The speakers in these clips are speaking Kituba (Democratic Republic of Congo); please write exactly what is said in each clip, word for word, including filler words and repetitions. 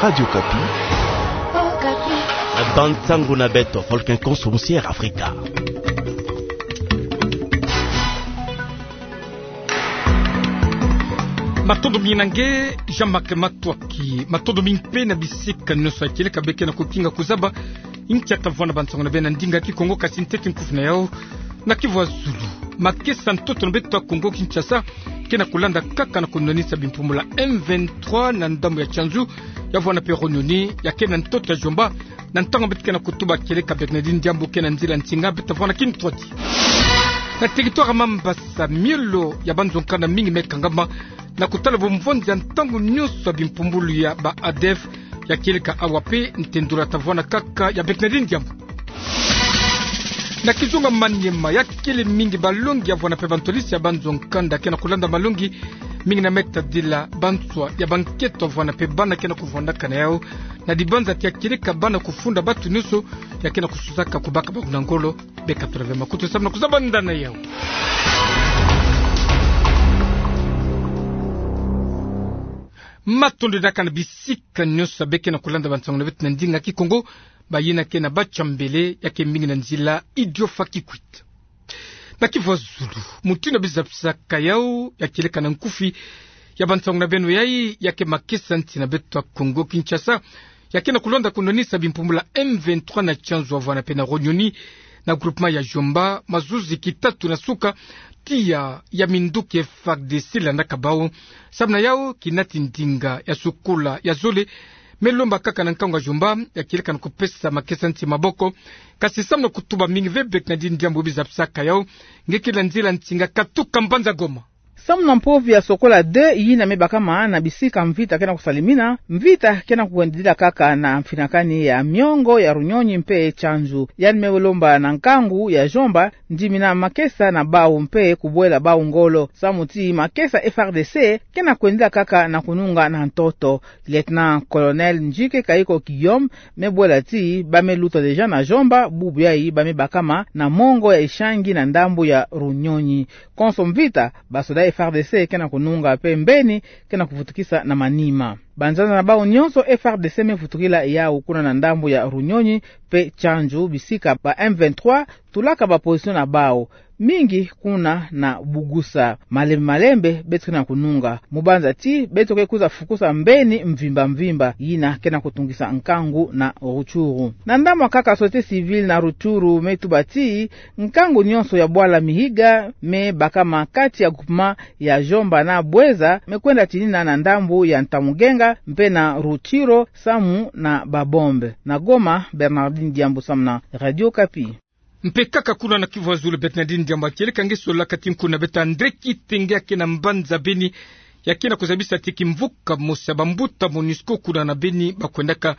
Radio Okapi. Bansango na beto, Volcan Konso, Musier Afrika. Matondo mingi na nge, Jean-Marc Matsoua. Ki matondo mingi mpe na bisika nyonso ya kieleka beke na kokinga kozaba inkia ta vwanda bansango na beno na ndinga Kikongo, kasi ntete nkufi na yau na kivu ya zulu. Makesa ntoto na beto ya Kongo Kinshasa ke na kolanda kaka na konwanisa bimpumbulu ya M vingt-trois na ndambu ya Tianzu, ya vwanda mpe Runyoni, ya ke na ntoto ya Djomba, na ntangu beto ke na kotuba kieleka Bernardine Diambu ke na nzila nsinga, beto ta vwanda kintwadi. Na territoire ya Mambasa, miolo ya banzo-nkanda mingi me kangama na kotala bomvonzi ya ntangu nyonso ya bimpumbulu ya ba ADF, ya kieleka awa mpe nte ndola ta vwanda kaka ya Bernardine Diambu. Na kizunga Maniema, ya kele mingi balongi ya vwanda mpe bantwadisi ya banzo-nkanda ke na kolanda malongi mingi na me tadila banswa ya bankento ya vwanda mpe bana ke na kovwandaka na yau, na dibanza ti ya kieleka bana kofunda bato nyonso ya ke na kososaka kobaka bango na ngolo. Beka tula ve makutu samu na kozaba nda na yau. Matondo diaka na bisika nyonso beke na kolanda bansango na beto na ndinga Kikongo, bayina ke na Batia Mbele, ya ke mingi na nzila Idiofa Kikwit. Na kivu ya zulu, mutindu biza bisaka yau, ya kieleka na nkufi ya bansango na beno yai, ya ke makesa nsi na beto ya Kongo Kinshasa, ya ke na kolanda konwanisa bimpumbulu ya M vingt-trois na Tianzu, ya vwanda mpe na Runyoni, na groupement ya Djomba, mazuzi kitatu na suka, tiya ya minduki ya F A R D C landaka bau. Samu na yau, kinati ndinga ya sukola ya zole me lomba kaka na nkangu ya Djomba, ya kieleka na kopesa makesa nsi maboko. Kasi samu na kotuba mingi ve, Bernardine Diambu biza bisaka yau, nge ke na nzila nsinga katuka mbanza Goma. Samu na mpovi ya Sokola deux yina me bakama na bisika mvita ke na kosalemina, mvita ke na kokwendila kaka na mfinakani ya miongo ya Runyoni mpe Tianzu. Yandi me lomba na nkangu ya Djomba ndimina makesa na bau mpe kobwela bau ngolo, samu ti makesa F A R D C ke na kwendila kaka na konunga na ntoto. Lieutenant-colonel Ndjike Kayiko Guillaume me bwela ti ba me luta déjà na Djomba, bubu yai ba me bakama na mongo ya Ishangi na ndambu ya Runyoni. Konso mvita, basoda F A R D C ke na konunga mpe mbeni ke na kovutukisa na manima. Banzanza na bau nyonso F A R D C me vutukila yau kuna na ndambu ya Runyoni mpe Tianzu, bisika ba M vingt-trois tulaka ba position na bau. Mingi kuna na Bugusa. Malembe malembe beto ke na konunga, mu banza ti beto ke kwiza fukusa mbeni mvimba mvimba yina ke na kotungisa nkangu na Rutshuru. Na ndambu ya nkaka, société civile na Rutshuru me tuba ti nkangu nyonso ya bwala Mihiga me bakama kati ya groupement ya Djomba na Bouenza me kwenda tinina na ndambu ya Ntamugenga mpe na Rutshuru samu na ba bombe. Na Goma, Bernardine Diambu samu na Radio Okapi. Mpe kaka kuna na kivu ya zulu, Bernardine Diambu, ya kieleka nge sololaka ti nkunga na beto André Kitenge, ya ke na mbanza Beni, ya ke na kozabisa ti kimvuka mosi ya bambuta MONUSCO kuna na Beni ba kwendaka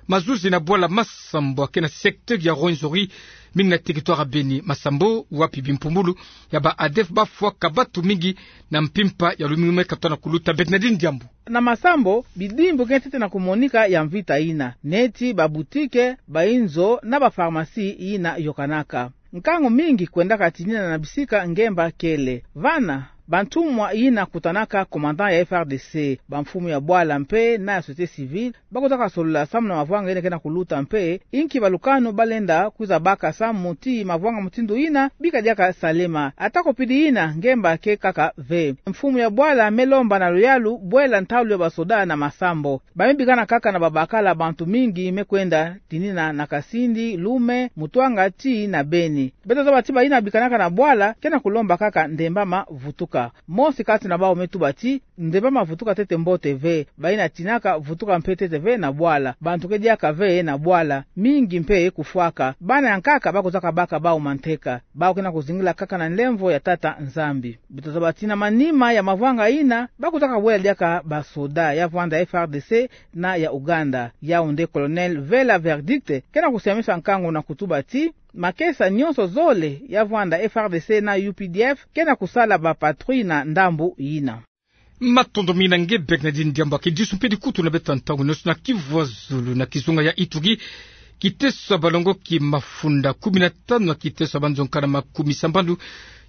mazuzi na bwala Masambo, ya ke na secteur ya Rwenzori, mingi na territoire ya Beni. Masambo, wapi bimpumbulu ya ba ADF ba fwaka bato mingi na mpimpa ya lumingu me katoa na kuluta, Bernardine Diambu. Na Masambo, bidimbu ke ntete na komonika ya mvita yina, neti ba boutique, ba inzo na ba pharmacie yina yokanaka. Nkangu mingi kwendaka tinina na bisika ngemba kele. Vana, bantumwa yina kutanaka commandant ya F A R D C, bamfumu ya bwala mpe na ya société civile, ba kotaka solola samu na mavwanga yina ke na kuluta mpe inki balukanu ba lenda kwiza baka samu ti mavwanga mutindu yina bika diaka salema. Atako pidi yina, ngemba ke kaka ve. Mfumu ya bwala me lomba na luyalu bwela ntalu ya basoda na Masambo. Ba me bikana kaka na babakala, bantu mingi me kwenda tinina na Kasindi, Loume, Mutuanga tii na Beni. Beto zaba ti bayina bikanaka na bwala ke na kolomba kaka ndembama vutuka. Mosi kati na bau me tuba ti ndembama vutuka ntete mbote ve. Bayina tinaka vutuka mpe ntete ve na bwala. Bantu ke diaka ve na bwala. Mingi mpe kofwaka. Bana ya nkaka ba kozaka baka bau manteka. Bau ke na kozingila kaka na nlemvo ya Tata Nzambi. Beto zaba ti na manima ya mavwanga yina, ba kozaka wela diaka basoda ya vwanda F A R D C na ya Ouganda. Yau nde Colonel Vela Verdict ke na kosiamisa nkangu na kotuba ti makesa nyonso zole ya vwanda F A R D C na U P D F ke na kosala ba patrouille na ndambu yina. Matondo mingi na nge Bernardine Diambu. Kidisu mpe dikutu na beto ya ntangu nyonso na Kivu ya Zulu. Na kizunga ya Ituri, kiteso ya balongoki mafunda kumi na tanu ya kiteso ya banzonkana makumi sambanu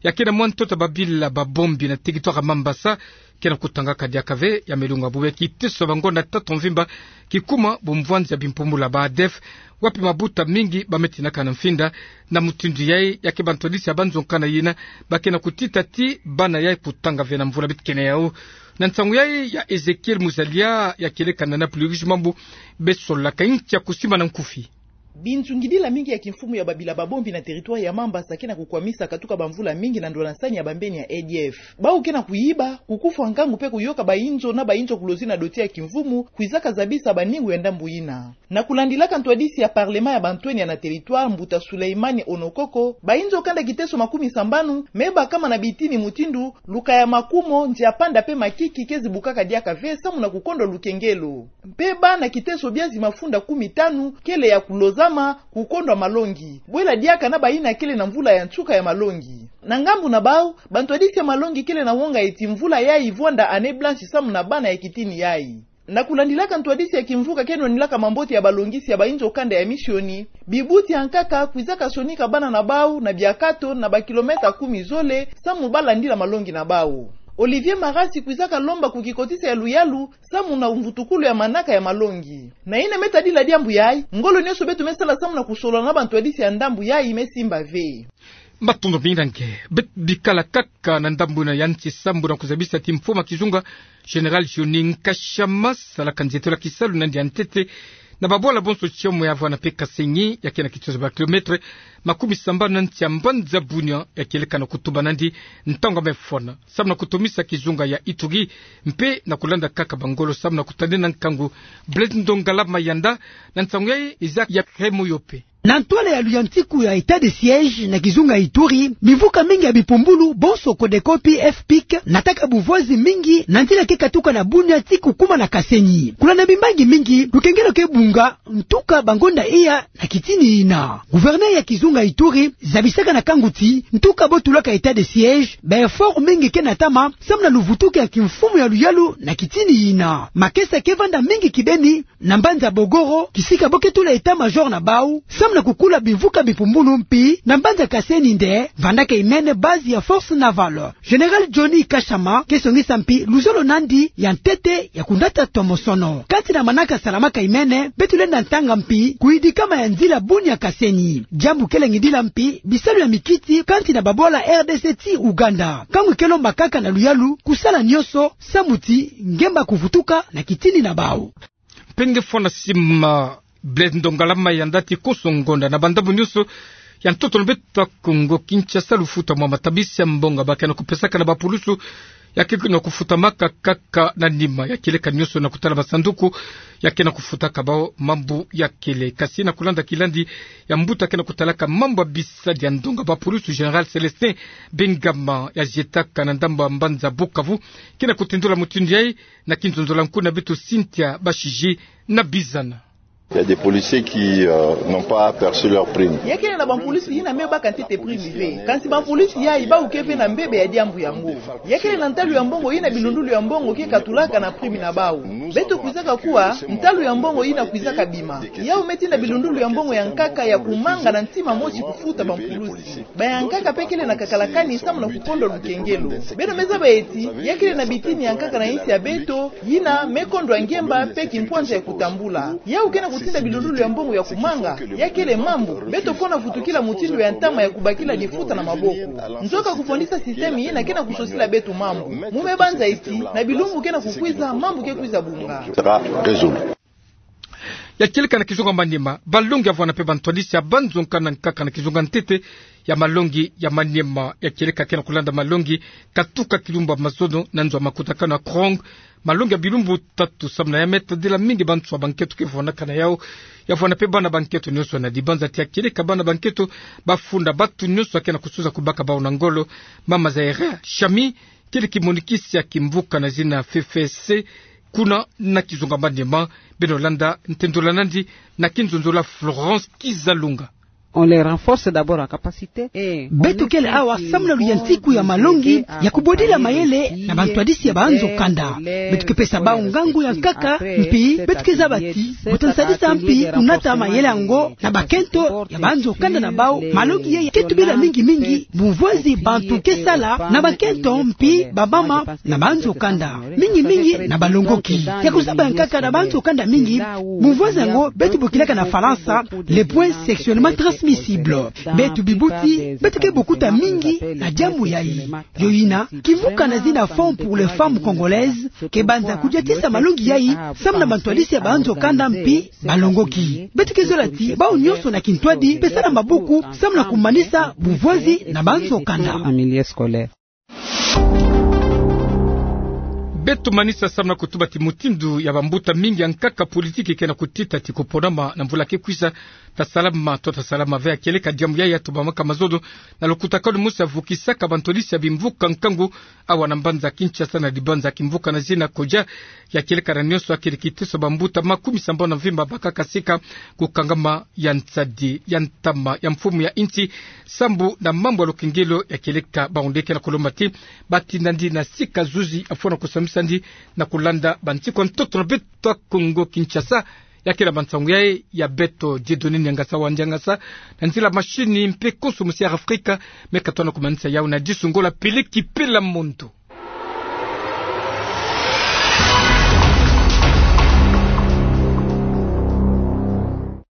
ya ke na mwa ntoto ya babila babombi na territoire ya Mambasa, ke na kutangaka diaka ve. Ya melunga bube kiteso ya bangonda tatu mvimba, kikuma bumvwanzi ya bimpumbulu ya ba ADF, wapi mabuta mingi ba me tinaka na mfinda. Na mutindu yai, ya ke bantwadisi ya banzonkana yina ba ke na kutita ti bana yai kutanga ve na mvula bit kena yau. Na nsangu yai ya Ezekiel Muzalia, ya kieleka na Napoli Uigi Mambu, besolaka inki ya kusimba na nkufi. Binzungidila mingi ya kimfumu ya babila babombi na territoire ya Mambasa ke na kukwamisa katuka bamvula mingi na ndwala nsani ya bambeni ya ADF. Bau ke na kuyiba, kukufwa nkangu pe kuyoka bainzo na bainzo kulozi na doti ya kimfumu, kwizaka zabisa baningu ya ndambu yina. Na kulandilaka ntwadisi ya parlement ya bantwenya na territoire, mbuta Suleimani Onokoko, bainzo kanda kiteso makumi sambanu me bakama na bitini mutindu Luka ya Makumo, Nziapanda pe Makiki kezi bukaka diaka ve samu na kukondwa lukengelo. Mpe bana kiteso biazi mafunda kumi tanu kele ya kulozama, kukondwa malongi, bwela diaka na bayina kele na mvula ya nsuka ya malongi. Na ngambu na bau, bantwadisi ya malongi kele na wonga eti mvula yai ivwanda année blanche samu na bana ya kitini yai. Na kulandilaka ntwadisi ya kimvuka ke nwanilaka mambote ya balongisi ya bainzo kanda ya misioni, bibuti ya nkaka kwizaka sonika bana na bau na biakato na bakilomètre kumi zole samu balandila malongi na bau. Olivier Marasi kwizaka lomba ku kikotisa ya luyalu samu na mvutukulu ya manaka ya malongi. Na yina me tadila diambu yai, ngolo nionso beto me sala samu na kusolola na bantwadisi ya ndambu yai me simba ve. Matondo mingi na nge. Beto bikala kaka na ndambu yina ya nsi sambu na kuzabisa ti mfumu ya kizunga, Général Johnny Nkashama, salaka nzietolo ya kisalu nandi ya ntete na babwala bonso tiomo ya vana pe Kasenyi, ya ke na kiteso ya bakilomètre makumi sambanu na nsi ya mbanza Bunia, ya kieleka na kutuba nandi ntangu ya me fwana samu na kutomisa kizunga ya Ituri, mpe na kulanda kaka bangolo samu na kutadina nkangu. Blaise Ndongala Mayanda, na nsangu yai Isaac ya Remo Yope. Na ntwala ya luyantiku ya état de siège na kizunga Ituri, bimvuka mingi ya bipumbulu, bonso Codeco pi FPIC, nataka buvwazi mingi na nzila ke katuka na Bunia ti kukuma na Kasenyi. Kulanda bimbangi mingi, lukengelo ke bunga, ntuka bangonda iya na kitini yina. Gouverneur ya kizunga Ituri zabisaka na nkangu ti, ntuka bo tulaka état de siège, ba effort mingi ke natama samu na luvutuki ya kimfumu ya luyalu na kitini yina. Makesa ke vanda mingi kibeni na mbanza Bogoro, kisika bo ke tula état-major na bau samu na kukula bimvuka bipumbulu, mpi na mbanza Kasenyi nde vandaka imene base ya force navale. Général Johnny Nkashama ke songisa mpi luzolo nandi ya ntete ya kunata tomosono. Kati na manaka salamaka imene, beto lenda ntanga mpi kuyidikama ya nzila Bunia Kasenyi. Diambu ke langidila mpi bisalu ya mikiti kati na babwala RDC ti Ouganda. Nkangu ke lomba kaka na luyalu kusala nionso samu ti ngemba kuvutuka na kitini na bau. Mpe nge fwana sima Blaise Ndongala Mayanda ti konso ngonda na bandambu nionso ya ntoto na beto Kongo Kinshasa, lufuta mwa matabisi ya mbongo ba ke na kupesaka na bapulusu ya ke na kufutamaka kaka na nima ya kieleka nionso na kutala basanduku ya ke na kufutaka bau mambu ya kele. Kasi na kulanda kilandi ya mbuta ke na kutalaka mambu ya bisadi ya ndonga bapulusu, Général Célestin Bengama, ya zietaka na ndambu ya mbanza Bukavu, ke na kutindula mutindu yai na kinzonzolo ya nkuna beto Cynthia Bashiji na Bizana. Il y a des policiers qui, euh, n'ont pas perçu leur prime. Ya kele na bampulusi yina me baka ntete prime ve. Kansi bampulusi yai bau ke ve na mbebe ya diambu yango. Ya kele na ntalu ya mbongo yina bilundulu ya mbongo ke katulaka na prime na bau. Beto kwizaka kuwa ntalu ya mbongo yina kwizaka bima. Yau me tinda bilundulu ya mbongo ya nkaka ya kumanga na ntima mosi kufuta bampulusi. Bayankaka pe kele na kakalakani samu na kukondwa lukengelo. Beno me zaba eti ya kele na bitini ya nkaka na insi ya beto yina me kondwa ngemba pe kimpwanza ya kutambula. Yau ke na kutinda bilundulu ya mbongo ya kumanga. Ya kele mambu beto fwana vutukila mutindu ya ntama ya kubakila difuta na maboko. Nzoka kufondisa système yina ke na kusosila beto mambu. Mu me banza eti na bilumbu ke na kukwiza, mambu ke kwiza bunga. Sera résolu. Ya kieleka na kizunga Maniema, balongi ya vwana pe bantwadisi ya banzo nkaka na nkaka na kizunga ntete ya malongi ya Maniema. Ya kieleka ke na kulanda malongi katuka kilumbu ya mazono na nzo ya makutakanu ya Krong. Malongi ya bilumbu tatu samu na ya me tadila mingi bantu ya banketo ke vwanaka na yau. Ya vwana pe bana banketo nionso na dibanza ti ya kieleka bana banketo bafunda batu nionso ya ke na kusuza kubaka bau na ngolo. Mama Zaire Shami, kele kimonikisi ya kimvuka na zina F F C kuna na kizunga Maniema. Beno landa ntendula nandi na kinzonzolo ya Florence Kizalunga. On les renforce d'abord en capacité. Beto kele awa samu na luyantiku ya malongi ya kubodila mayele na bantwadisi ya banzo kanda. Beto ke pesa bau ngangu ya nkaka, mpi beto ke zaba ti buta nsadisa mpi kunata mayele yango na bakento ya banzo kanda na bau. Malongi yayi ke tubila mingi mingi bumvwezi bantu ke sala na bakento mpi bamama na banzo kanda, mingi mingi na balongoki. Ya kuzaba ya nkaka na banzo kanda mingi, bumvwezi yango beto bokilaka na Falansa le point sexuellement transmissible. Beto bibuti beto ke bokuta mingi na diambu yayi. Yo yina, kimvuka na zina Fonds pour les femmes congolaises ke banza kudiatisa malongi yayi samu na bantwadisi ya banzo kanda mpi balongoki. Beto ke zola ti bau nyonso na kintwadi pesa na mabuku samu na kumanisa bumvwezi na banzo kanda. Beto manisa samu na kutuba ti mutindu ya bambuta mingi ya nkaka politiki ke na kutita ti kuponama na mvula ke kwisa, ta salama to ta salama ve. Ya kieleka diambu yayi ya tubamaka mazono na lukutakanu mosi ya vukisaka bantwadisi ya bimvuka nkangu awa na mbanza Kinshasa na dibanza kimvuka na zina Kodja. Ya kieleka na nyonso akili kiteso bambuta makumi sambanu na mvimba bakaka sika kukangama ya nsadi ya ntama ya mfumu ya insi sambu na mambu ya lukengelo. Ya kieleka bau nde ke na kulomba ti batinda ndi na sika zuzi afwana kusambisa ndi na kulanda bansiku ya ntoto na beto ya Kongo Kinshasa. Ya kele bansangu yayi ya beto Dieudonné Niangasa wa Niangasa na nzila mashini mpe konso mosi ya Afrika me katona kumanisa yawu na disu Ngola pele kipela mondo.